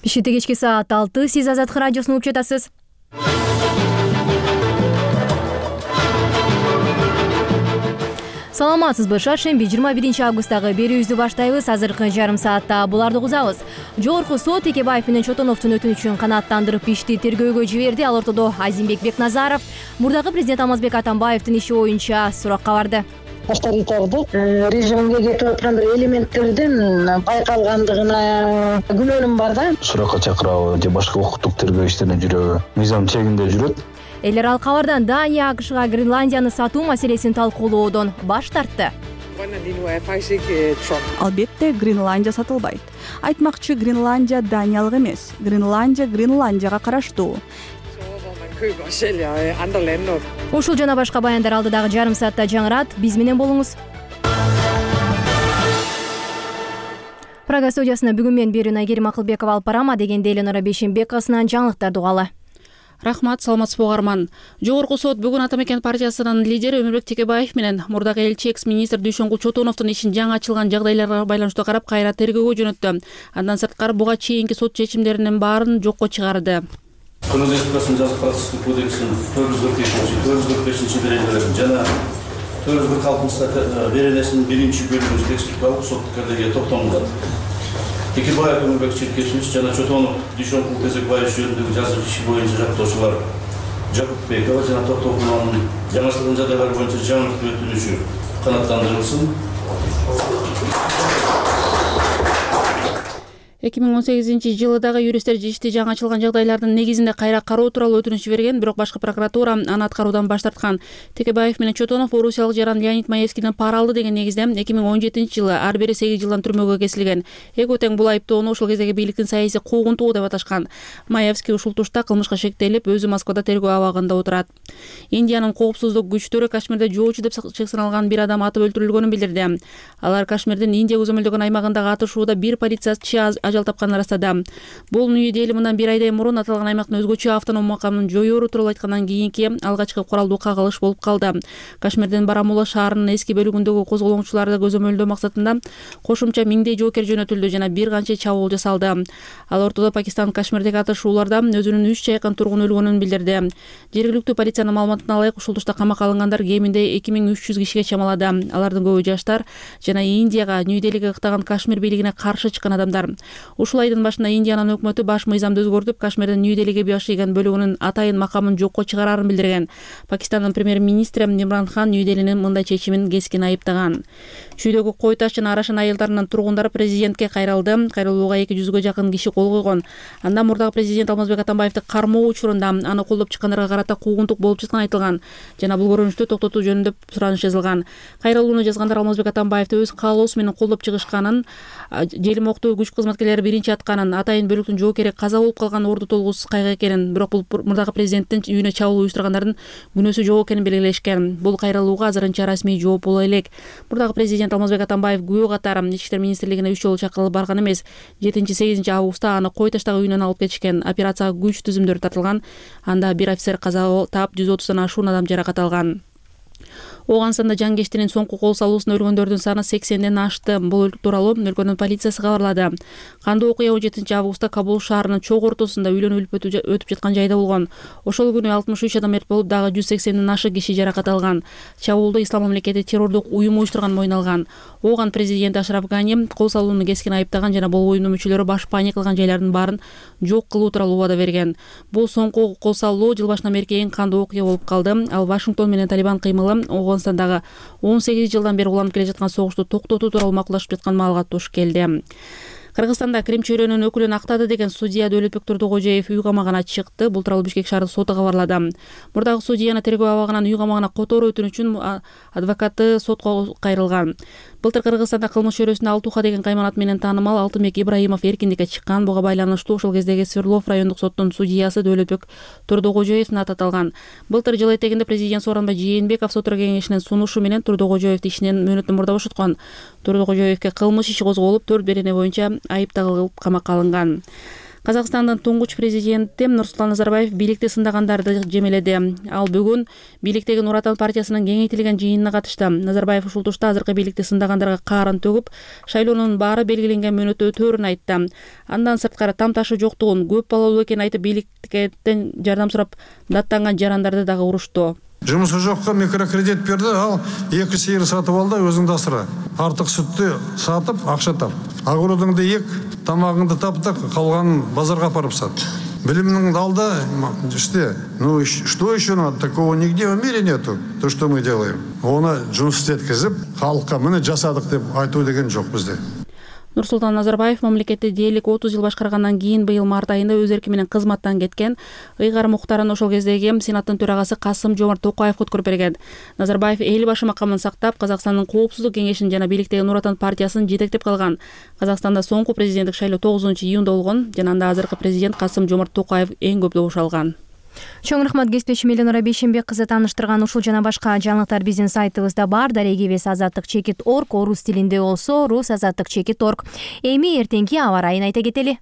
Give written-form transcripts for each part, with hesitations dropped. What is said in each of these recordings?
Бишкекте кечки саат 6. Сиз Азаттык радиосун угуп жатасыз. Саламатсызбы? Шаршемби 21-августтагы берүүбүздү баштайбыз. Азыркы жарым саатта буларды угузабыз. Жогорку сот Текебаев менен Чотоновдун өтүнүчүн канааттандырып ишти тергөөгө жиберди. Ал ортодо Азимбек Бекназаров мурдагы президент Алмазбек Атамбаевдин иши боюнча суракка барды. Авторитардык режимге кетип аткан бир элементтердин байкалгандыгына күмөнүм бар да. Суракка чакырабы же башка укуктук тергөө иштерине жүрөбү? Мыйзам чегинде жүрөт. Элер ал кабардан Дания АКШга Гренландияны сатуу маселесин талкуулоодон баш тартты. Албетте Гренландия сатылбайт. Айтмакчы, Гренландия Даниялык эмес. Гренландияга караштуу. Ушул жана башка баяндар алдыдагы жарым саатта жаңырат. Биз менен болуңуз. Прага студиясына бүгүн мен Берүүн Айгерим Акылбекова алып барам, дегенде Эленора Бейшенбековасынан жаңылыктарды угалы. Рахмат, саламатсызбы угарман. Жогорку сот бүгүн Атамекен партиясынын лидери Өмүрбек Текебаев менен мурдагы элчи экс-министр Дүйшөнгүл Чотоновдун ишин жаңы ачылган жагдайларга байланыштуу карап кайра тергөөгө жөнөттү. Андан сырткары буга чейинки сот чечимдеринин баарын жокко чыгарды. Кыргыз Республикасынын жаза процесстик кодексинин 445 беренелерин жана 446 беренесинин 1-бөлүгүн текстикалык соттук эрдеге токтомулат. Текебаев Өмүрбек Черкешевич жана Чотонов Дүйшөнгүл Кезекбаев жөнүндөгү жазуу иши боюнча жактоочулар Жакупбекова жана Токтогуловдун жаңыртылган жагдайлар боюнча жаңыртып өтүнүшү канааттандырылсын. 2018-жылы дагы юристтер ишти жаңы ачылган жагдайлардын негизинде кайра кароо тууралуу өтүнүч берген, бирок башкы прокуратура аны аткаруудан баш тарткан. Текебаев менен Чотонов орусиялык жаран Леонид Маевскийден пара алды деген негизде 2017-жылы ар бири 8 жылдан түрмөгө кесилген. Экөө тең бул айыптоону ошол кездеги бийликтин саясий куугунтугу деп аташкан. Маевский ушул тушта кылмышка шектелип, өзү Москвада тергөө абагында отурат. Индиянын коопсуздук күчтөрү Кашмирде жоочу деп чек саналган бир адам атып өлтүрүлгөнүн билдирди. Алар Кашмирдин Индия көзөмөлдөгөн аймагындагы атышууда бир полициячы ажал тапканын ырастады. Бул Нью-Дели мындан бир айдай мурун аталган аймактын өзгөчө автоном макамын жоёору тууралуу айткандан кийинки алгачкы куралдуу кагылыш болуп калды. Кашмирдин Барамула шаарынын эски бөлүгүндөгү козголоңчуларды көзөмөлдөө максатында кошумча миңдей жоокер жөнөтүлдү жана бир канча чабуул жасалды. Ал ортодо Пакистан Кашмирдеги атышууларда өзүнүн 3 жакын тургун өлгөнүн билдирди. Жергиликтүү полициянын маалыматына ылайык ушул тушта камакка алынгандар кеминде 2300 кишиге чамалады. Алардын көбү жаштар жана Индияга Нью-Делиге ыктаган Кашмир бийлигине каршы чыккан адамдар. Ушул айдын башында Индиянын өкмөтү баш мыйзамды өзгөртүп, Кашмирдин Нью-Делиге башыйган бөлүгүнүн атайын макамын жокко чыгарарын билдирген. Пакистандын премьер-министри Имран Хан Нью-Делинин мындай чечимин кескин айыптаган. Чүйдөгү Кой Таш жана Арашан айылдарынын тургундары президентке кайрылды. Кайрылууга 200га жакын киши кол койгон. Анда мурдагы президент Алмазбек Атамбаевди кармоо учурунда аны колдоп чыккандарга карата куугунтук болуп жатканы айтылган жана бул көрүнүштү токтотуу жөнүндө сураныш жазылган. Кайрылууну жазгандар Алмазбек Атамбаевди өз каалоосу менен колдоп чыгышканын, желим октуу күч кызматкерлери биринчи атканын, атайын бөлүктүн жоокери каза болуп калган орду толгусуз кайгы экенин, бирок бул мурдагы президенттин үйүнө чабуул уюштургандардын күнөөсү жок экенин белгилешкен. Бул кайрылууга азырынча расмий жооп боло элек. Мурдагы президент Алмазбек Атамбаев күбө катары Ички иштер министрлигине 3 жолу чакырылып барган эмес. 7-8 августта аны Кой Таштагы үйүнөн алып кетишкен. Операцияга күч түзүмдөрү тартылган. Анда бир офицер каза таап, 130 ашуун адам жаракат алган. Оганстанда жангештинин соңку кол салуусунда өлгөндөрдүн саны 80ден ашты. Бул тууралуу өлкөнүн полициясы кабарлады. Кандуу окуя 17 августта Кабул шаарынын чок ортосунда үйлөнүп өтүп жаткан жайда болгон. Ошол күнү 63 адам мерт болуп, дагы 180ден ашы киши жаракат алган. Чабуулду Ислам мамлекети террордук уюм уюштурган мойнолгон. Оган президент Ашраф Гани кол салууну кескин айыптаган жана бул уюмдун мүчөлөрү баш паник кылган жайлардын баарын жок кылуу тууралуу убада берген. Бул соңку кол салуу жыл башынан берки эң кандуу окуя болуп калды. Ал Вашингтон менен Талибан кыймылы Оганстандагы 18 жылдан бери уланып келе жаткан согушту токтотуу тууралуу макулдашып жаткан маалга туш келди. Кыргызстанда Крим чөйрөнүн өкүлүн актады деген судья Дөөлөтбек Турдукожоев үй камагына чыкты. Бул тууралуу Бишкек шаардык соту кабарлады. Мурдагы судьяны тергөө абагынан үй камагына которуу өтүнүчүн адвокаты сотко кайрылган. Былтыр Кыргызстанда кылмыш чөйрөсүндө Алтуха деген кайманат менен таанымал Алтынбек Ибраимов эркиндикке чыккан. Буга байланыштуу ошол кездеги Свердлов райондук соттун судьясы Дөөлөтбек Турдукожоевдин аты аталган. Былтыр жыл этегинде президент Сооронбай Жээнбеков сот кеңешинин сунушу менен Турдукожоевди ишинен мөөнөттөн мурда бошоткон. Турдукожоевге кылмыш иши козголуп, 4 берене боюнча айып тагылып камакка алынган. Казакстандын туңгуч президенти Нурсултан Назарбаев бийликти сындагандарды жемеледи. Ал бүгүн бийликтеги Нур Отан партиясынын кеңейтилген жыйынына катышты. Назарбаев ушул тушта азыркы бийликти сындагандырга каарын төгүп, шайлоонун баары белгиленген мөөнөттө өтөөрүн айтты. Андан сырткары там ташы жоктугун, көп балалуу экенин айтып, бийликтен жардам сурап даттанган жарандарды дагы урушту. Жұмысы жоққа микрокредит берді, ал 2 сиыр сатып алды, өзіңді асыра. Артық сүтті сатып, ақша тап. Ағырудыңды ек, тамағыңды таптық, қалғанын базарға апарып сат. Білімнің алды, ну что еще надо? Такого нигде в мире нету, то, что мы делаем. Оны жұмыс еткізіп, халыққа міне жасадық деп айту деген жоқ бізде. Нурсултан Назарбаев мамлекетти дээрлик 30 жыл башкаргандан кийин быйыл март айында өз эрки менен кызматтан кеткен Ыйгар Мухтарын ошол кездеги Сенаттын төрагасы Касым-Жомарт Токаевге өткөрүп берген. Назарбаев эл башы макамын сактап, Казакстандын коопсуздук кеңешин жана бийликтеги Нур Отан партиясын жетектеп калган. Казакстанда соңку президенттик шайлоо 9-июнда болгон жана анда азыркы президент Касым-Жомарт Токаев эң көп добуш алган. Чоң рахмат кесиптешим Эленора Бейшенбек кызы тааныштырган ушул жана башка жаңылыктар биздин сайтыбызда бар. Дарегибиз azadlik.org, орус тилинде болсо rus.azadlik.org. Эми эртеңки аба ырайын айта кетели.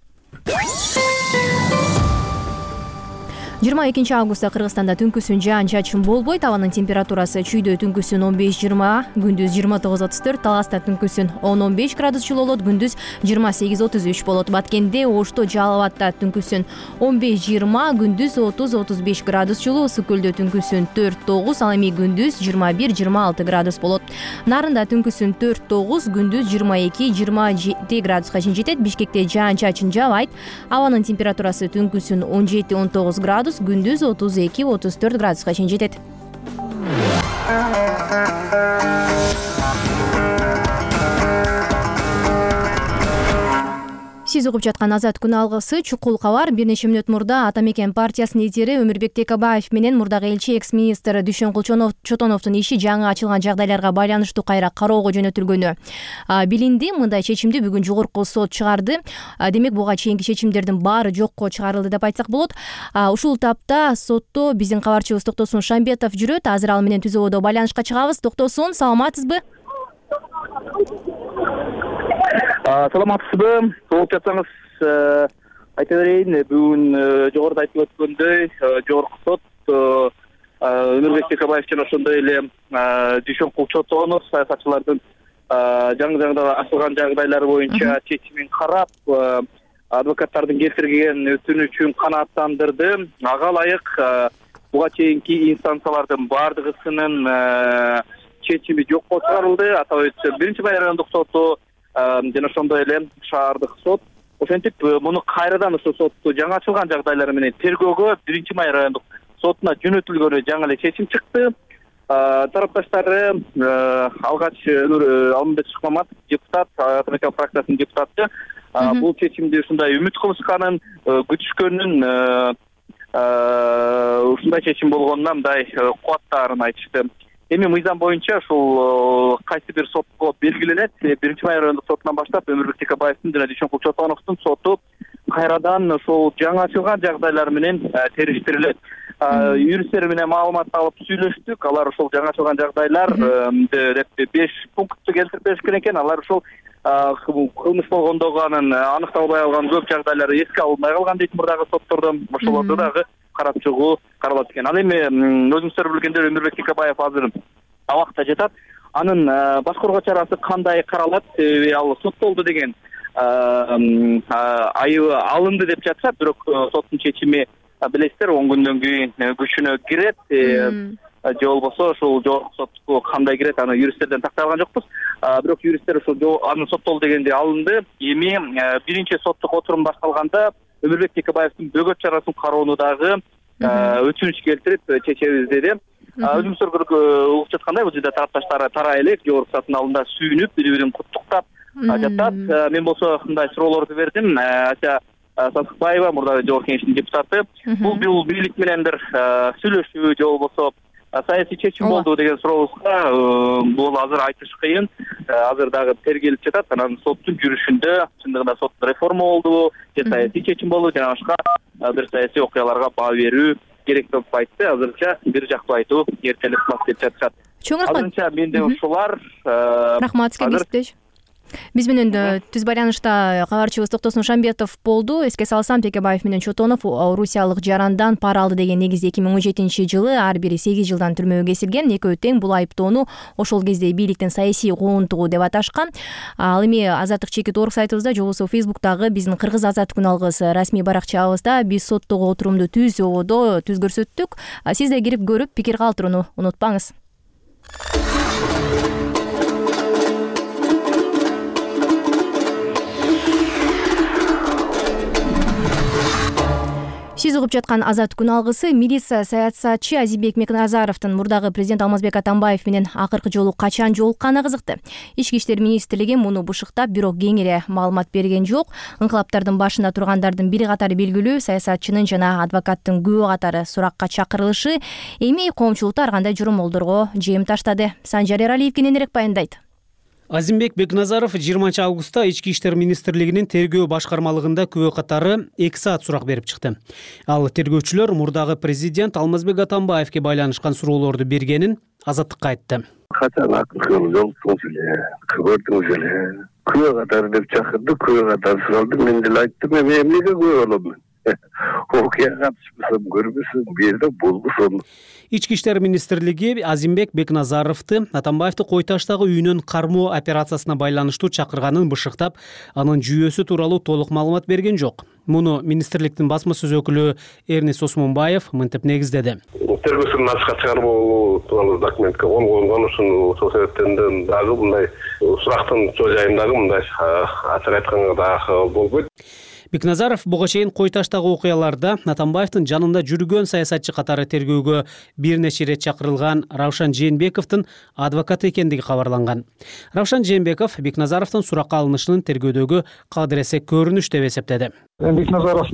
22 августта Кыргызстанда түнкүсүн жаан-чачын болбойт. Абанын температурасы чүйдө түнкүсүн 15-20, күндүз 29-34, Таласта түнкүсүн 10-15 градус жылуу болот, күндүз 28-33 болот. Баткенде, Ошто, Жалал Абадта түнкүсүн 15-20, күндүз 30-35 градус жылуу, Ысык Көлдө түнкүсүн 4-9, ал эми күндүз 21-26 градус болот. Нарында түнкүсүн 4-9, күндүз 22-27 градуска чейин жетет. Бишкекте жаан-чачын жаабайт. Абанын температурасы түнкүсүн 17-19 градус, күндүз 32-34 градуска чейин жетет. Сиз угуп жаткан Азат күн алгысы чукул кабар. Бир нече мүнөт мурда Ата Мекен партиясынын лидери Өмүрбек Текебаев менен мурдагы элчи экс-министр Дүйшөн Чотоновдун иши жаңы ачылган жагдайларга байланыштуу кайра кароого жөнөтүлгөнү билинди. Мындай чечимди бүгүн жогорку сот чыгарды. Демек буга чейинки чечимдердин баары жокко чыгарылды деп айтсак болот. Ушул тапта сотто биздин кабарчыбыз Токтосун Шамбетов жүрөт. Азыр ал менен түз абалда байланышка чыгабыз. Токтосун, саламатсызбы? Саламатсызбы? Толук жатсаңыз айта берейин, бүгүн жогоруда айтылып өткөндөй жогорку сот Өмүрбек Текебаев жана ошондой эле Дүйшөн Чотонов саясатчылардын жаңы ачылган жагдайлары боюнча чечимин карап, адвокаттардын келтирген өтүнүчүн канааттандырды. Ага ылайык буга чейинки инстанциялардын баардыгысынын чечими жокко чыгарылды. Атап өтсөм, 1-бай райондук соту жана ошондой эле шаардык сот ошентип муну кайрадан ошо сотту жаңы ачылган жагдайлары менен тергөөгө 1-бай райондук сотуна жөнөтүлгөнү жаңы эле чечим чыкты. Тарапташтары алгач Алмамбет Шыкмаматов, депутат, Ата Мекен фракциясынын депутаты, бул чечимди ушундай үмүт кылышканын, күтүшкөнүн, ушундай чечим болгонуна мындай кубаттаарын айтышты. Эми мыйзам боюнча ушул кайсы бир сотко белгиленет. 1-бай райондук сотунан баштап Өмүрбек Текебаевдин жана Дүйшөн Чотоновдун соту кайрадан ушул жаңы ачылган жагдайлар менен териштирилет. Юристтер менен маалымат алып сүйлөштүк. Алар ушул жаңы ачылган жагдайлар деп 5 пунктты келтирип беришкен экен. Алар ушул кылмыш болгондогу анын аныкталбай алган көп жагдайлары эске алынбай калган дейт мурдагы соттордо. Ошолорду дагы карап чыгуу каралат экен. Ал эми өзүңүздөр билгендер Өмүрбек Текебаев азыр абакта жатат. Анын баш коргоо чарасы кандай каралат? Ал соттолду деген айыбы алынды деп жатышат, бирок соттун чечими билесиздер 10 күндөн кийин күчүнө кирет. Же болбосо ушул жогорку сотко кандай кирет, аны юристтерден тактай алган жокпуз. Бирок юристтер ушул аны соттолду дегенде алынды. Эми биринчи соттук отурум башталганда Өмүрбек Текебаевдин бөгөт чарасын кароону дагы өтүнүч келтирип чечебиз деди. Өзүңүздөр угуп жаткандай, бул жерде тарапташтар тарай элек жогорку соттун алдында сүйүнүп, бири-бирин куттуктап жатат. Мен болсо мындай суроолорду бердим. Ася Сасыкбаева, мурдагы жогорку кеңештин депутаты, бул бийлик менен бир сүйлөшүү же болбосо саясий чечим болду деген сурообузга бул азыр айтыш кыйын. Азыр дагы тергелип жатат. Анан соттун жүрүшүндө чындыгында соттун реформа болдубу, же саясий чечим болду, жана башка бир саясий окуяларга баа берүү керек деп айтты. Азырынча бир жактуу айтуу эртелик деп жатышат. Чоң рахмат. Азырынча менде ушулар. Рахмат сизге кесиптеш. Биз менен түз байланышта кабарчыбыз Токтосун Шамбетов болду. Эске салсам, Текебаев менен Чотонов орусиялык жарандан пара алды деген негизде 2017-жылы ар бири 8 жылдан түрмөгө кесилген. Экөө тең бул айыптоону ошол кезде бийликтин саясий куугунтугу деп аташкан. Ал эми Азаттык чекит орг сайтыбызда же болбосо Фейсбуктагы биздин Кыргыз Азаттык күн алгыс расмий баракчабызда биз соттогу отурумду түз көрсөттүк. Сиз да кирип көрүп пикир калтырууну унутпаңыз. Сиз угуп жаткан Азаттык күн алгысы. Милиция саясатчы Азимбек Бекназаровдун мурдагы президент Алмазбек Атамбаев менен акыркы жолу качан жолукканы кызыкты. Ички иштер министрлиги муну бушуктап, бирок кеңири маалымат берген жок. Инкылаптардын башында тургандардын бири катары белгилүү саясатчынын жана адвокаттын күбө катары суракка чакырылышы эми коомчулукта ар кандай жоромолдорго жем таштады. Санжар Эралиев кененирээк баяндайт. Азимбек Бекназаров 20-августта Ички иштер министрлигинин тергөө башкармалыгында күбө катары 2 саат сурак берип чыкты. Ал тергөөчүлөр мурдагы президент Алмазбек Атамбаевке байланышкан суроолорду бергенин Азаттыкка айтты. Качан акыркы жолуктуңуз эле, көрдүңүз эле. Күбө катары деп чакырды, күбө катары суралды. Мен деле айттым, эмнеге күбө болом? Окуяга катышпасам көрбөсүң, бу жерде болбосун. Ички иштер министрлиги Азимбек Бекназаровду Атамбаевди кой таштагы үйүнөн кармоо операциясына байланыштуу чакырганын бышыктап, анын жүйөсү тууралуу толук маалымат берген жок. Муну министрликтин басма сөз өкүлү Эрнис Осмонбаев мынтип негиздеди. Тергөөсүн ачыкка чыгаруу тууралуу документке кол койгон, ошол себептен дагы мындай сурактын чоо жайындагы мындай ачык айтканга дагы болбойт. Бекназаров буга чейин кой таштагы окуяларда Атамбаевдин жанында жүргөн саясатчы катары тергөөгө бир нече ирет чакырылган Равшан Жээнбековдун адвокаты экендиги кабарланган. Равшан Жээнбеков Бекназаровдун суракка алынышынын тергөөдөгү кадыресе көрүнүш деп эсептеди. Бекназаров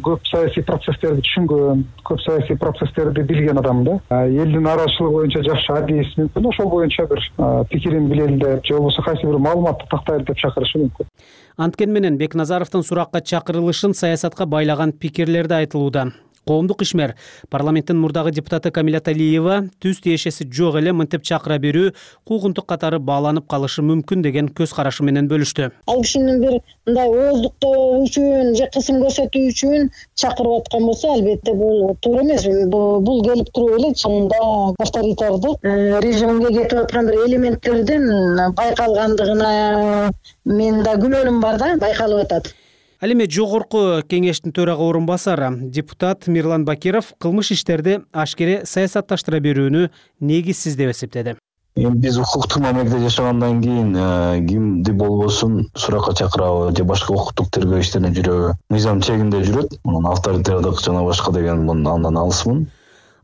көп саясий процесстерди түшүнгөн, көп саясий процесстерди билген адам да. Элдин арачылыгы боюнча жакшы адис мүмкүн, ошол боюнча бир пикирин билели деп, же болбосо кайсы бир маалыматты тактайлы деп чакырышы мүмкүн. Анткени менен Бекназаровдун суракка чакырылышын саясатка байлаган пикирлерди айтылууда. Коомдук ишмер парламенттин мурдагы депутаты Камилат Алиева түз тиешеси жок эле мынтип чакыра берүү куугунтук катары бааланып калышы мүмкүн деген көз карашы менен бөлүштү. Ал кишинин бир мындай ооздуктоо үчүн же кысым көрсөтүү үчүн чакырып аткан болсо, албетте бул туура эмес. Бул келип туруп эле чынында авторитардык режимге кетип аткан бир элементтердин байкалгандыгына мен да күмөнүм бар да, байкалып атат. Ал эми жогорку кеңештин төрага орун басары депутат Мирлан Бакиров кылмыш иштерди ашкере саясатташтыра берүүнү негизсиз деп эсептеди. Биз укуктук мамлекетте жашагандан кийин кимди болбосун суракка чакырабы же башка укуктук тергөө иштерине жүрөбү мыйзам чегинде жүрөт. Мунун авторитардык жана башка деген андан алысмын.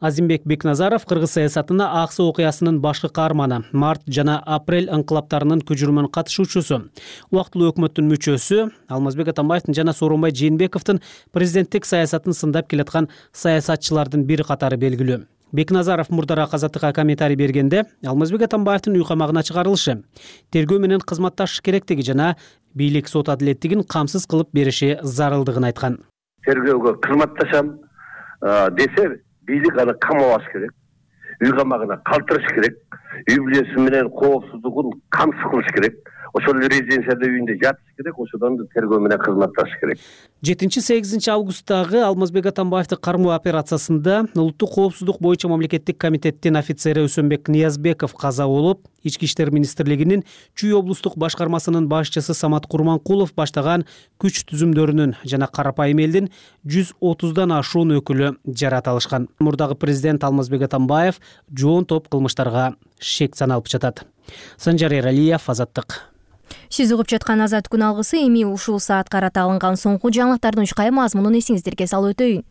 Азимбек Бекназаров кыргыз саясатына Аксы окуясынын башкы каарманы, март жана апрель инкылаптарынын күжүрмөн катышуучусу, убактылуу өкмөттүн мүчөсү, Алмазбек Атамбаевдин жана Сооронбай Жээнбековдун президенттик саясатын сындап келаткан саясатчылардын бири катары белгилүү. Бекназаров мурдараак Азаттыкка комментарий бергенде, Алмазбек Атамбаевдин үй камагына чыгарылышы, тергөө менен кызматташыш керектиги жана бийлик сот адилеттигин камсыз кылып бериши зарылдыгын айткан. Тергөөгө кызматташам десе, бийлик аны камабаш керек, үй камагына калтырыш керек, үй бүлөсү менен коопсуздугун камсыз кылыш керек. Ошол резиденцияда үйүндө жатыш керек, ошодон тергөө менен кызматташыш керек. 7-8 августтагы Алмазбек Атамбаевди кармоо операциясында улуттук коопсуздук боюнча мамлекеттик комитеттин офицери Өсөнбек Ниязбеков каза болуп, Ички иштер министрлигинин Чүй облустук башкармасынын башчысы Самат Курманкулов баштаган күч түзүмдөрүнүн жана карапайым элдин 130дан ашуун өкүлү жарат алышкан. Мурдагы президент Алмазбек Атамбаев жоон топ кылмыштарга шек саналып жатат. Санжар Эралиев, Азаттык. Сиз угуп жаткан Азаттык күн алгысы эми ушул саат карата алынган соңку жаңылыктардын учкай мазмунун эсиңиздерге салып өтөйүн.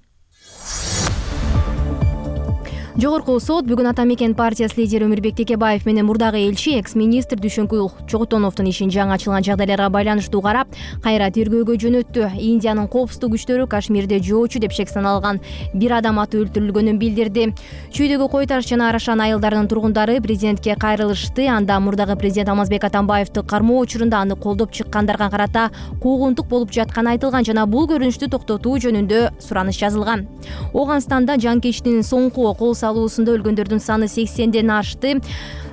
Жогорку сот бүгүн Ата мекен партиясы лидери Өмүрбек Текебаев менен мурдагы элчи экс-министр Дүйшөнкүл Чотоновдун ишин жаңы ачылган жагдайларга байланыштуу карап, кайра тергөөгө жөнөттү. Индиянын коопсуздук күчтөрү Кашмирде жоочу деп шек саналган бир адам аты өлтүрүлгөнүн билдирди. Чүйдөгү Кой Таш жана Арашан айылдарынын тургундары президентке кайрылышты. Анда мурдагы президент Алмазбек Атамбаевди кармоо учурунда аны колдоп чыккандарга карата куугунтук болуп жатканы айтылган жана бул көрүнүштү токтотуу жөнүндө сураныш жазылган. Оганстанда жанкечтин соңку кол салуусунда өлгөндөрдүн саны 80ден ашты.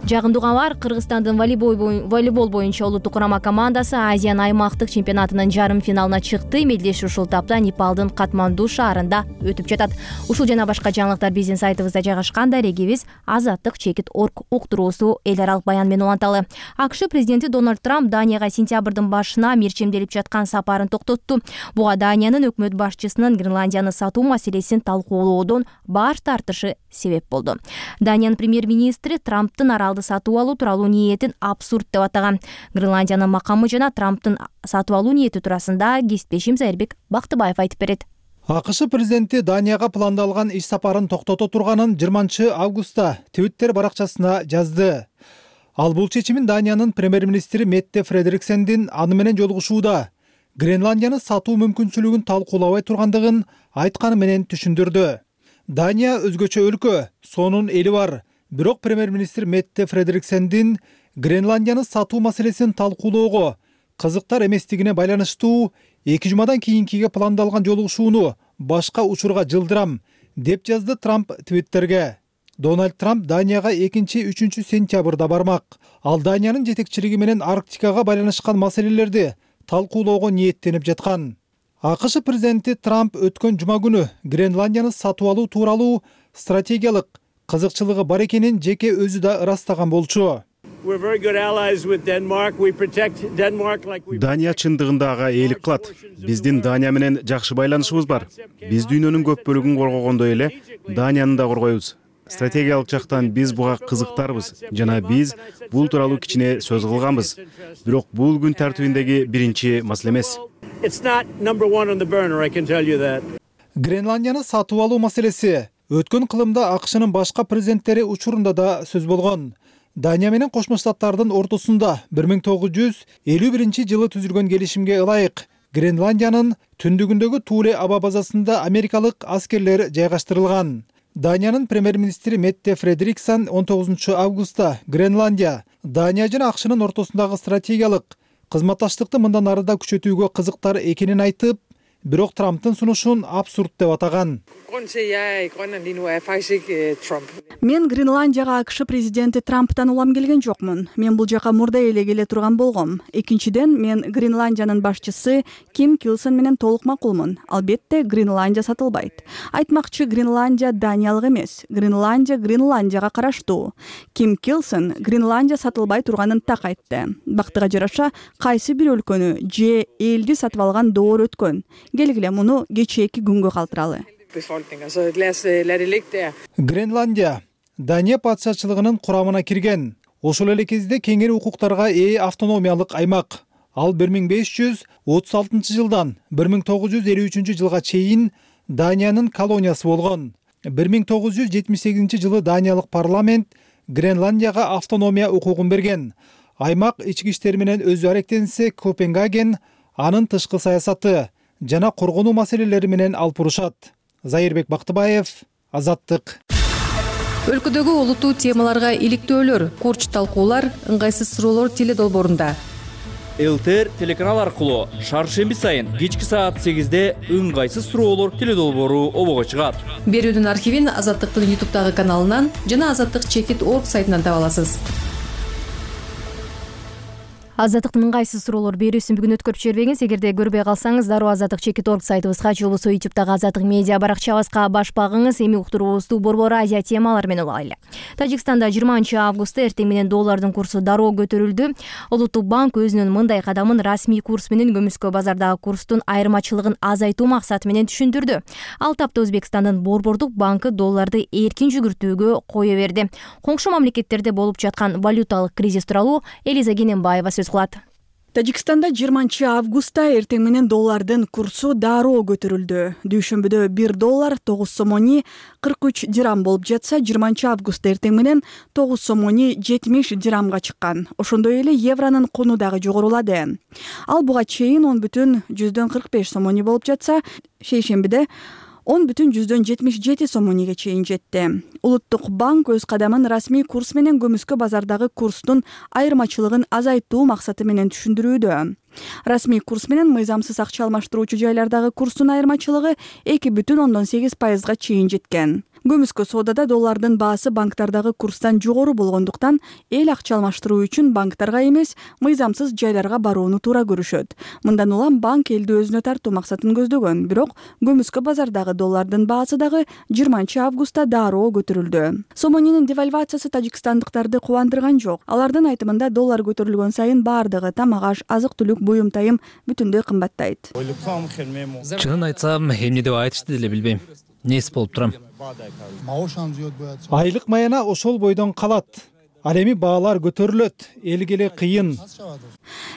Жагымдуу кабар, Кыргызстандын волейбол боюнча улуттук курама командасы Азиянын аймактык чемпионатынын жарым финалына чыкты. Мелдеш ушул тапта Непалдын Катманду шаарында өтүп жатат. Ушул жана башка жаңылыктар биздин сайтыбызда жайгашкан. Дарегибиз Азаттык чекит орг уктуруусу эл аралык баян менен уланталы. АКШ президенти Дональд Трамп Данияга сентябрдын башына мирчемделип жаткан сапарын токтотту. Буга Даниянын өкмөт башчысынын Гренландияны сатуу маселесин талкуулоодон баш тартышы себеп болду. Даниянын премьер-министри Трамптын аралды сатуу алуу тууралуу ниетин абсурд деп атаган. Гренландиянын макамы жана Трамптын сатуу алуу ниети туурасында кесиптешим Зайырбек Бактыбаев айтып берет. АКШ президенти Данияга пландалган иш сапарын токтото турганын 20-августта Twitter баракчасына жазды. Ал бул чечимин Даниянын премьер-министри Метте Фредериксендин аны менен жолугушууда Гренландияны сатуу мүмкүнчүлүгүн талкуулабай тургандыгын айтканы менен түшүндүрдү. Дания өзгөчө өлкө, сонун эли бар. Бирок премьер-министр Метте Фредериксендин Гренландияны сатуу маселесин талкуулоого кызыктар эместигине байланыштуу 2 жумадан кийинкиге пландалган жолугушууну башка учурга жылдырам, деп жазды Трамп Твиттерге. Дональд Трамп Данияга 2-3 сентябрда бармак. Ал Даниянын жетекчилиги менен Арктикага байланышкан маселелерди талкуулоого ниеттенип жаткан. АКШ президенти Трамп өткөн жума күнү Гренландияны сатуу алуу тууралуу стратегиялык кызыкчылыгы бар экенин жеке өзү да ырастаган болчу. Дания чындыгында ага ээлик кылат. Биздин Дания менен жакшы байланышыбыз бар. Биз дүйнөнүн көп бөлүгүн коргогондой эле Данияны да коргойбуз. Стратегиялык жактан биз буга кызыктарбыз жана биз бул тууралуу кичине сөз кылганбыз. Бирок бул күн тартибиндеги биринчи маселе эмес. Гренландияны сатуу алуу маселеси өткөн кылымда АКШнын башка президенттери учурунда да сөз болгон. Дания менен Кошмо Штаттардын ортосунда 1951-жылы түзүлгөн келишимге ылайык Гренландиянын түндүгүндөгү Туле аба базасында америкалык аскерлер жайгаштырылган. Даниянын премьер-министри Метте Фредериксон 19-августта Гренландия, Дания жана АКШнын ортосундагы стратегиялык кызматташтыкты мындан ары да күчөтүүгө кызыктар экенин айтып, бирок Трамптын сунушун абсурд деп атаган. Мен Гренландияга АКШ президенти Трамптан улам келген жокмун. Мен бул жака мурда эле келе турган болгом. Экинчиден, мен Гренландиянын башчысы Ким Килсон менен толук макулмун. Албетте, Гренландия сатылбайт. Айтмакчы, Гренландия Даниялык эмес. Гренландия Гренландияга караштуу. Ким Килсон Гренландия сатылбай турганын так айтты. Бактыга жараша, кайсы бир өлкөнү же элди сатып алган доор өткөн. Келгиле муну кечээки күнгө калтыралы. Гренландия Дания патшачылыгынын курамына кирген. Ошол эле кезде кеңири укуктарга ээ автономиялык аймак. Ал 1536-жылдан 1953-жылга чейин Даниянын колониясы болгон. 1978-жылы Даниялык парламент Гренландияга автономия укугун берген. Аймак ички иштер менен өзү аректенсе, Копенгаген анын тышкы саясаты жана коргонуу маселелери менен алып урушат. Зайырбек Бактыбаев, Азаттык. Өлкөдөгү олуттуу темаларга иликтөөлөр, курч талкуулар, ыңгайсыз суроолор теле долбоорунда. ЛТР телеканал аркылуу шаршемби сайын кечки саат 8-де ыңгайсыз суроолор теле долбоору обого чыгат. Берүүдүн архивин Азаттыктын YouTube'дагы каналынан жана Азаттык чекит орг сайтынан таба аласыз. Азаттыктын ыңгайсыз суроолор берүүсүн бүгүн өткөрүп жибербеңиз. Эгерде көрбөй калсаңыз, дароо Азаттык чекит орг сайтыбызга же болбосо YouTube'дагы Азаттык медиа баракчабызга баш багыңыз. Эми уктуруубузду Борбор Азия темалары менен улайлы. Тажикстанда 20-августта эртең менен доллардын курсу дароо көтөрүлдү. Улуттук банк өзүнүн мындай кадамын расмий курс менен көмүскө базардагы курстун айырмачылыгын азайтуу максаты менен түшүндүрдү. Ал тапта Өзбекстандын Борбордук банкы долларды эркин жүгүртүүгө кое берди. Коңшу мамлекеттерде болуп жаткан валюталык кризис тууралуу Элиза Кененбаева сөз кылат. Тажикстанда 20-августта эртең менен доллардын курсу дароо көтөрүлдү. Дүйшөмбүдө 1 доллар 9 сомони 43 дирам болуп жатса, 20-августта эртең менен 9 сомони 70 дирамга чыккан. Ошондой эле евронун куну дагы жогорулады. Ал буга чейин 10,45 сомони болуп жатса, шейшембиде 10,77 сомониге чейин жетти. Улуттук банк өз кадамын расмий курс менен көмүскө базардагы курстун айырмачылыгын азайтуу максаты менен түшүндүрүүдө. Расмий курс менен мыйзамсыз акча алмаштыруучу жайлардагы курстун айырмачылыгы 2,8%га чейин жеткен. Көмүскө соодада доллардын баасы банктардагы курстан жогору болгондуктан эл акча алмаштыруу үчүн банктарга эмес, мыйзамсыз жайларга барууну туура көрүшөт. Мындан улам банк элди өзүнө тартуу максатын көздөгөн, бирок Көмүскө базардагы доллардын баасы дагы 20-августта дароо көтөрүлдү. Сомонинин девальвациясы тажикстандыктарды кубандырган жок. Алардын айтымында доллар көтөрүлгөн сайын баардыгы тамак-аш, азык-түлүк, буюм-тайым бүтүндөй кымбаттайт. Чынын айтсам, эмне деп айтышты деле билбейм. Нес болуп турам. Айлык маяна ошол бойдон калат. Ал эми баалар көтөрүлөт, элге эле кыйын.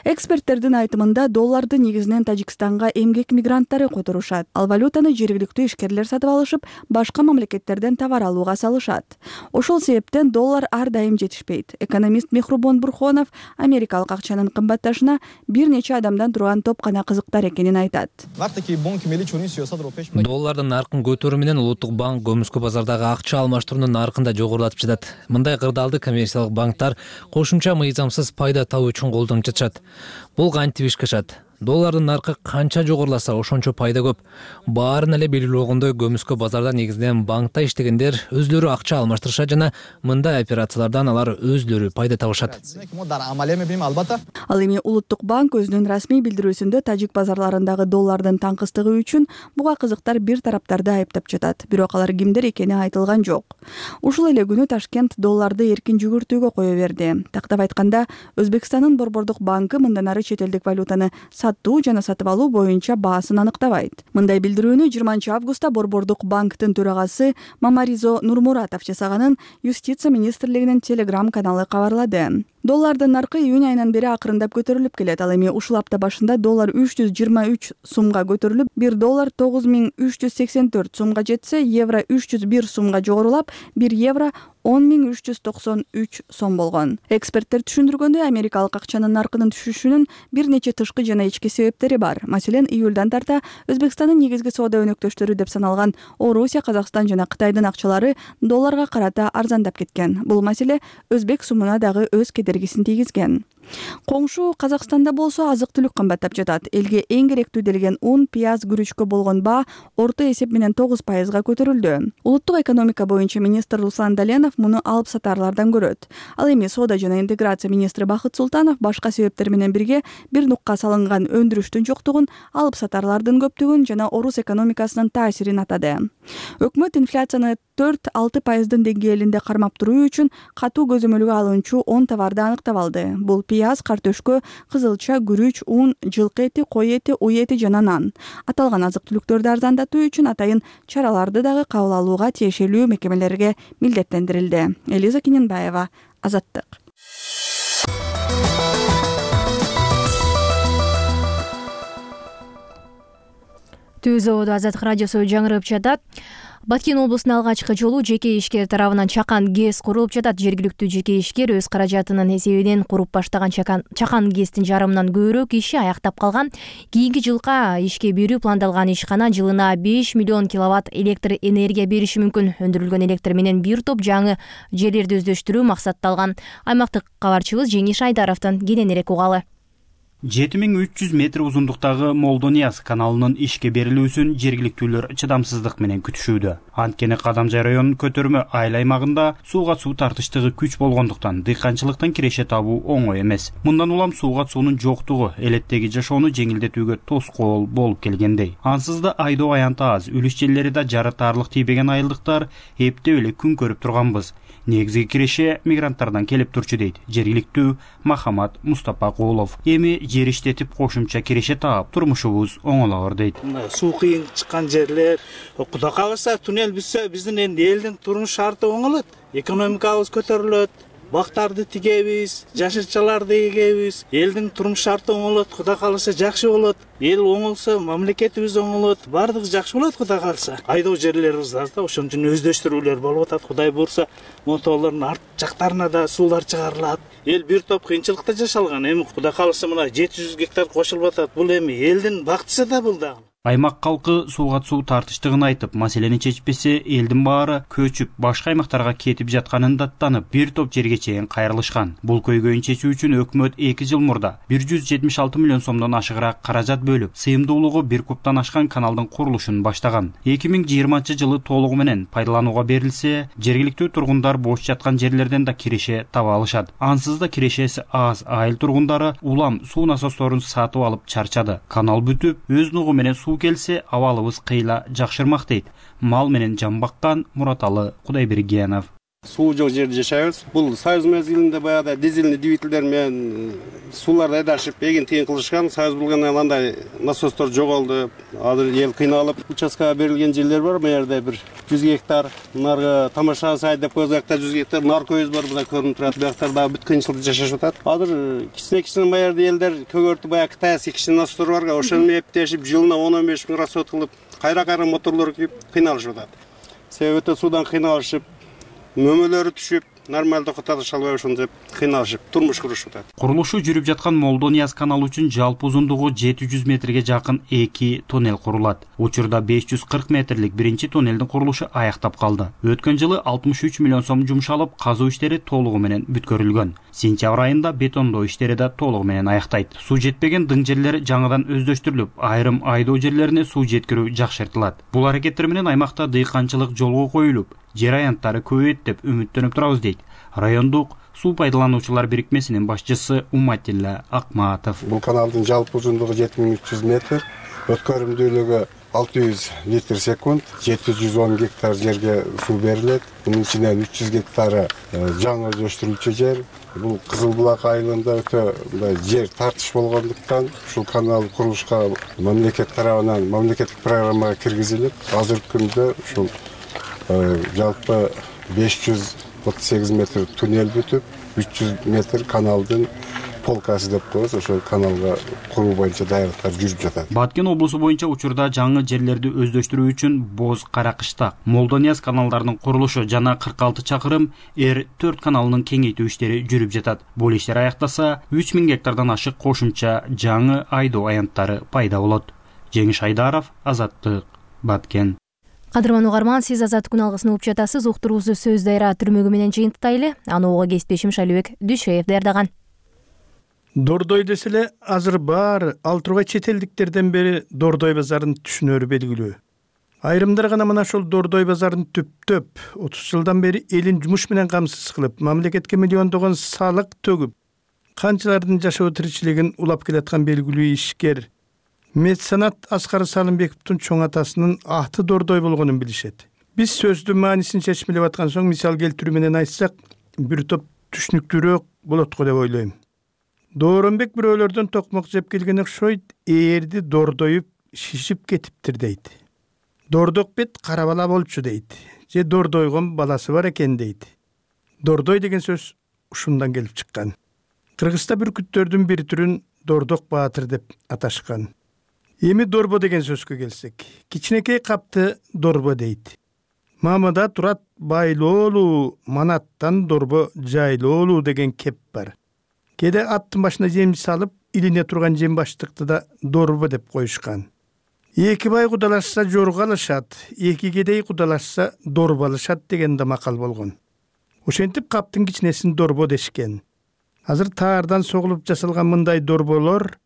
Эксперттердин айтымында долларды негизинен Тажикстанга эмгек мигранттары которушат. Ал валютаны жергиликтүү ишкерлер сатып алышып, башка мамлекеттерден товар алууга салышат. Ошол себептен доллар ар дайым жетишпейт. Экономист Мехрубон Бурхонов америкалык акчанын кымбатташына бир нече адамдан турган топ гана кызыктар экенин айтат. Доллардын наркын көтөрүү менен Улуттук банк Көмүскө базардагы акча алмаштыруунун наркын да жогорулатып жатат. Мындай кырдаалды коммерциялык банктар кошумча мыйзамсыз пайда табуу үчүн колдонуп жатышат. Бул кантип ишке ашат? Доллардын наркы канча жогоруласа, ошончо пайда көп. Баарын эле белгилүү болгондой, Көмүскө базарда негизинен банкта иштегендер өзлөрү акча алмаштырышат жана мындай операциялардан алар өзлөрү пайда табышат. Ал эми Улуттук банк өзүнүн расмий билдирүүсүндө тажик базарларындагы доллардын таңкыстыгы үчүн буга кызыктар бир тараптарды айыптап жатат. Бирок алар кимдер экени айтылган жок. Ушул эле күнү Ташкент долларды эркин жүгүртүүгө кое берди. Тактап айтканда, Өзбекстандын Борбордук банкы мындан ары чет элдик валютаны сатуу жана сатып алуу боюнча баасын аныктабайт. Мындай билдирүүнү 20-августта Борбордук банктын төрагасы Мамаризо Нурмуратов жасаганын Юстиция министрлигинин Telegram каналы кабарлады. Доллардын наркы июнь айынан бери акырындап көтөрүлүп келет. Ал эми ушул апта башында доллар 323 сумга көтөрүлүп, 1 доллар 9384 сумга жетсе, евро 301 сумга жогорулап, 1 евро 10393 сом болгон. Эксперттер түшүндүргөндөй, америкалык акчанын наркынын түшүшүнүн бир нече тышкы жана ички себептери бар. Маселен, июлдан тарта Өзбекстандын негизги соода өнөктөштөрү деп саналган Орусия, Казакстан жана Кытайдын акчалары долларга карата арзандап кеткен. Бул маселе өзбек сумуна дагы өз кедергисин тийгизген. Коңшу Казакстанда болсо азык-түлүк кымбаттап жатат. Элге эң керектүү делген ун, пияз, күрүчкө болгон баа орто эсеп менен 9% көтөрүлдү. Улуттук экономика боюнча министр Руслан Даленов муну алып сатарлардан көрөт. Ал эми соода жана интеграция министри Бакыт Султанов башка себептер менен бирге бир нукка салынган өндүрүштүн жоктугун, алып сатарлардын көптүгүн жана орус экономикасынын таасирин атады. Өкмөт инфляцияны 4-6% деңгээлинде кармап туруу үчүн катуу көзөмөлгө алынчу 10 товарды аныктап алды. Бул пияз, картөшкө, кызылча, күрүч, ун, жылкы эти, кой эти, уй эти жана нан. Аталган азык-түлүктөрдү арзандатуу үчүн атайын чараларды дагы кабыл алууга тиешелүү мекемелерге милдеттендирилди. Элиза Киненбаева, Азаттык. Түз ободо Азаттык радиосу жаңырып жатат. Баткен облусунун алгачкы жолу жеке ишкер тарабынан Чакан ГЭС курулуп жатат. Жергиликтүү жеке ишкер өз каражатынын эсебинен куруп баштаган Чакан ГЭСтин жарымынан көбүрөөк иши аяктап калган. Кийинки жылга ишке берүү пландалган ишкана жылына 5 миллион киловатт электр энергия бериши мүмкүн. Өндүрүлгөн электр менен бир топ жаңы жерлерди өздөштүрүү максатталган. Аймактык кабарчыбыз Жеңиш Айдаровдон кененирээк угалы. 7300 метр узундуктагы Молдонияз каналынын ишке берилүүсүн жергиликтүүлөр чыдамсыздык менен күтүшүүдө. Анткени Кадамжай районунун көтөрмө айыл аймагында сууга суу тартыштыгы күч болгондуктан дыйканчылыктан киреше табуу оңой эмес. Мындан улам сууга суунун жоктугу элеттеги жашоону жеңилдетүүгө тоскоол болуп келгендей. Ансыз да айдоо аянты аз, үлүш жерлери да жарытаарлык тийбеген айылдыктар эптеп эле күн көрүп турганбыз. Негизги киреше мигранттардан келип турчу дейт жергиликтүү Махамат Мустапакулов. Эми жер иштетип кошумча киреше таап турмушубуз оңолоор дейт. Суу кыйын чыккан жерлер, Кудай кааласа туннель бүтсө биздин энди элдин турмуш шарты оңолот, экономикабыз көтөрүлөт, бактарды тигебиз, жашырчаларды эгебиз, элдин турмуш шарты оңолот, Кудай кааласа жакшы болот. Эл оңолсо, мамлекетибиз оңолот, бардыгы жакшы болот Кудай кааласа. Айдоо жерлерибиз аз да, ошон үчүн өздөштүрүүлөр болуп атат. Кудай буйрса, мотолордун арт жактарына да суулар чыгарылат. Эл бир топ кыйынчылыкта жашалган. Эми Кудай кааласа мына 700 гектар кошулуп атат. Бул эми элдин бактысы да бул да. Аймак калкы сууга суу тартыштыгын айтып, маселени чечпесе элдин баары көчүп башка аймактарга кетип жатканын даттанып, бир топ жерге чейин кайрылышкан. Бул көйгөйүн чечүү үчүн өкмөт 2 жыл мурда 176 миллион сомдон ашыгыраак каражат бөлүп, сыйымдуулугу 1 кубтан ашкан каналдын курулушун баштаган. 2020-жылы толугу менен пайдаланууга берилсе, жергиликтүү тургундар бош жаткан жерлерден да киреше таба алышат. Ансыз да кирешеси аз айыл тургундары улам суу насосторун сатып алып чарчады. Канал бүтүп, өз нугу менен суу келсе, абалыбыз кыйла жакшырмак дейт мал менен жан баккан Мураталы Кудайбергенов. Суу жок жерде жашайбыз. Бул союз мезгилинде баягы дизельный двигательдер менен сууларды айдашып, эгин тыйын кылышкан. Союз болгондон андай насостор жоголду. Азыр эл кыйналып, участкага берилген жерлер бар. Бу жерде бир 100 гектар, наргы тамаша сай деп койгакта 100 гектар нар көйүз бар. Буда көрүнүп турат. Бияктарда бүт кыйынчылыкта жашашып атат. Азыр кичине бу жерде элдер көгөртү баягы кытайский кичине насостор бар. Ошону эптешип, жылына 10-15 миң расход кылып, кайра моторлор күйүп кыйналышып атат. Себеби өтө суудан кыйналышып, мөмөлөрү түшүп, нормалдуу кытатыша албай ошентип кыйналышып турмуш курушуп атат. Курулушу жүрүп жаткан Молдонияз каналы үчүн жалпы узундугу 700 метрге жакын 2 тоннел курулат. Учурда 540 метрлик биринчи тоннелдин курулушу аяктап калды. Өткөн жылы 63 миллион сом жумшалып, казуу иштери толугу менен бүткөрүлгөн. Сентябрь айында бетондоо иштери да толугу менен аяктайт. Суу жетпеген дың жерлер жаңыдан өздөштүрүлүп, айрым айдоо жерлерине суу жеткирүү жакшыртылат. Бул аракеттер менен аймакта дыйканчылык жолго коюлуп, жер аянттары көбөйөт деп үмүттөнүп турабыз дейт райондук суу пайдалануучулар бирикмесинин башчысы Уматилла Акматов. Бул каналдын жалпы узундугу 7300 метр, өткөрүмдүүлүгү 600 литр секунд, 710 гектар жерге суу берилет. Мунун ичинен 300 гектары жаңы өздөштүрүлчү жер. Бул Кызыл Булак айылында өтө жер тартыш болгондуктан ушул канал курулушка мамлекет тарабынан мамлекеттик программага киргизилип, азыркы күндө ушул жалпы 538 метр туннель бүтүп, 300 метр каналдын полкасы деп коебуз, ошол каналга куруу боюнча даярдыктар жүрүп жатат. Баткен облусу боюнча учурда жаңы жерлерди өздөштүрүү үчүн Боз Каракыштак, Молдонияз каналдарынын курулушу жана 46 чакырым Р4 каналынын кеңейтүү иштери жүрүп жатат. Бул иштер аяктаса, 3000 гектардан ашык кошумча жаңы айдоо аянттары пайда болот. Жеңиш Айдаров, Азаттык, Баткен. Кадырман угарман, сиз Азаттык күн алгысын угуп жатасыз. Уктуруубузду сөз дайра түрмөгү менен жыйынтыктайлы. Аны ого кесиптешим Шалыбек Дүйшөев даярдаган. Дордой деселе азыр баары ал тургай чет элдиктерден бери Дордой базарын түшүнөрү белгилүү. Айрымдар гана мына ошол Дордой базарын түптөп, 30 жылдан бери элин жумуш менен камсыз кылып, мамлекетке миллиондогон салык төгүп, канчалардын жашоо тиричилигин улап келаткан белгилүү ишкер меценат Аскар Салымбековдун чоң атасынын аты Дордой болгонун билишет. Биз сөздүн маанисин чечмелеп аткан соң мисал келтирүү менен айтсак, бир топ түшүнүктүүрөөк болот го деп ойлойм. Дооронбек бирөөлөрдөн токмок жеп келген окшойт, ээрди дордоюп шишип кетиптир дейт. Дордок бет кара бала болчу дейт. Же дордойгон баласы бар экен дейт. Дордой деген сөз ушундан келип чыккан. Кыргызста бүркүттөрдүн бир түрүн Дордок баатыр деп аташкан. Эми дорбо деген сөзгө келсек, кичинекей капты дорбо дейт. Мамада турат байлоолуу, манаттан дорбо жайлоолуу деген кеп бар. Кеде аттын башына жем салып, илине турган жем баштыкты да дорбо деп коюшкан. Эки бай кудалашса жорго алышат, эки кедей кудалашса дорбо алышат деген да макал болгон. Ошентип каптын кичинесин дорбо дешкен. Азыр таардан согулуп жасалган мындай дорболор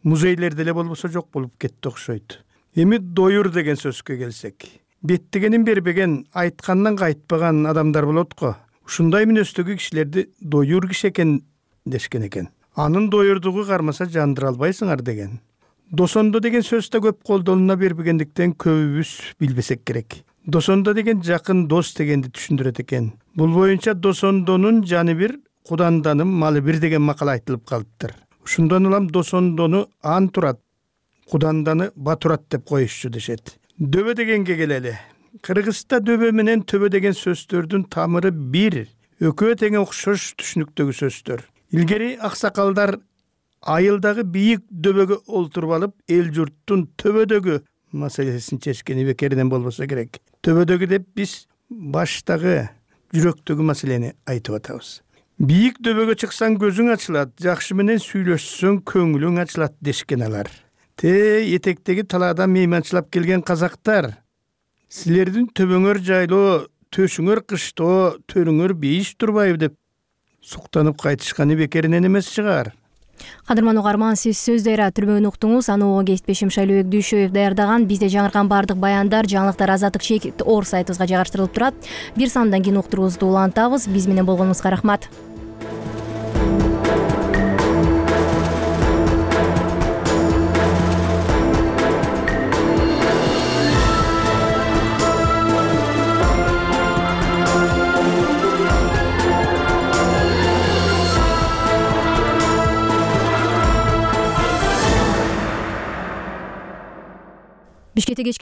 музейлерде эле болбосо жок болуп кетти окшойт. Эми доюр деген сөзгө келсек, беттегенин бербеген, айткандан кайтпаган адамдар болот го. Ушундай мүнөздөгү кишилерди доюр киши экен дешкен экен. Анын доюрдугу кармаса жандыра албайсыңар деген. Досондо деген сөз да көп колдолуна бербегендиктен көбүбүз билбесек керек. Досондо деген жакын дос дегенди түшүндүрөт экен. Бул боюнча досондонун жаны бир, куданданын малы бир деген макал айтылып калыптыр. Ушундан улам досондону ан турат, куданданы батурат деп коюшчу дешет. Дөбө дегенге келели. Кыргызста дөбө менен төбө деген сөздөрдүн тамыры бир, экөө тең окшош түшүнүктөгү сөздөр. Илгери аксакалдар айылдагы бийик дөбөгө олтуруп алып, эл журттун төбөдөгү маселесин чечкени бекеринен болбосо керек. Төбөдөгү деп биз баштагы, жүрөктөгү маселени айтып атабыз. Бийик дөбөгө чыксаң көзүң ачылат, жакшы менен сүйлөшсөң көңүлүң ачылат дешкен алар. Этектеги талаада мейманчылап келген казактар, силердин төбөңөр жайлоо, төшүңөр кыштоо, төрүңөр бейиш турбайбы деп суктанып кайтышканы бекеринен эмес чыгар. Кадырман угарман, сиз сөз дайра түрмөгүн уктуңуз. Аны кесиптешим Шайлообек Дүйшөев даярдаган. Бизде жаңыркан баардык баяндар, жаңылыктар Азаттык чек ор сайтыбызга жайгаштырылып турат. Бир самдан кийин уктуруубузду улантабыз. Биз менен болгонуңузга рахмат. Бишкекте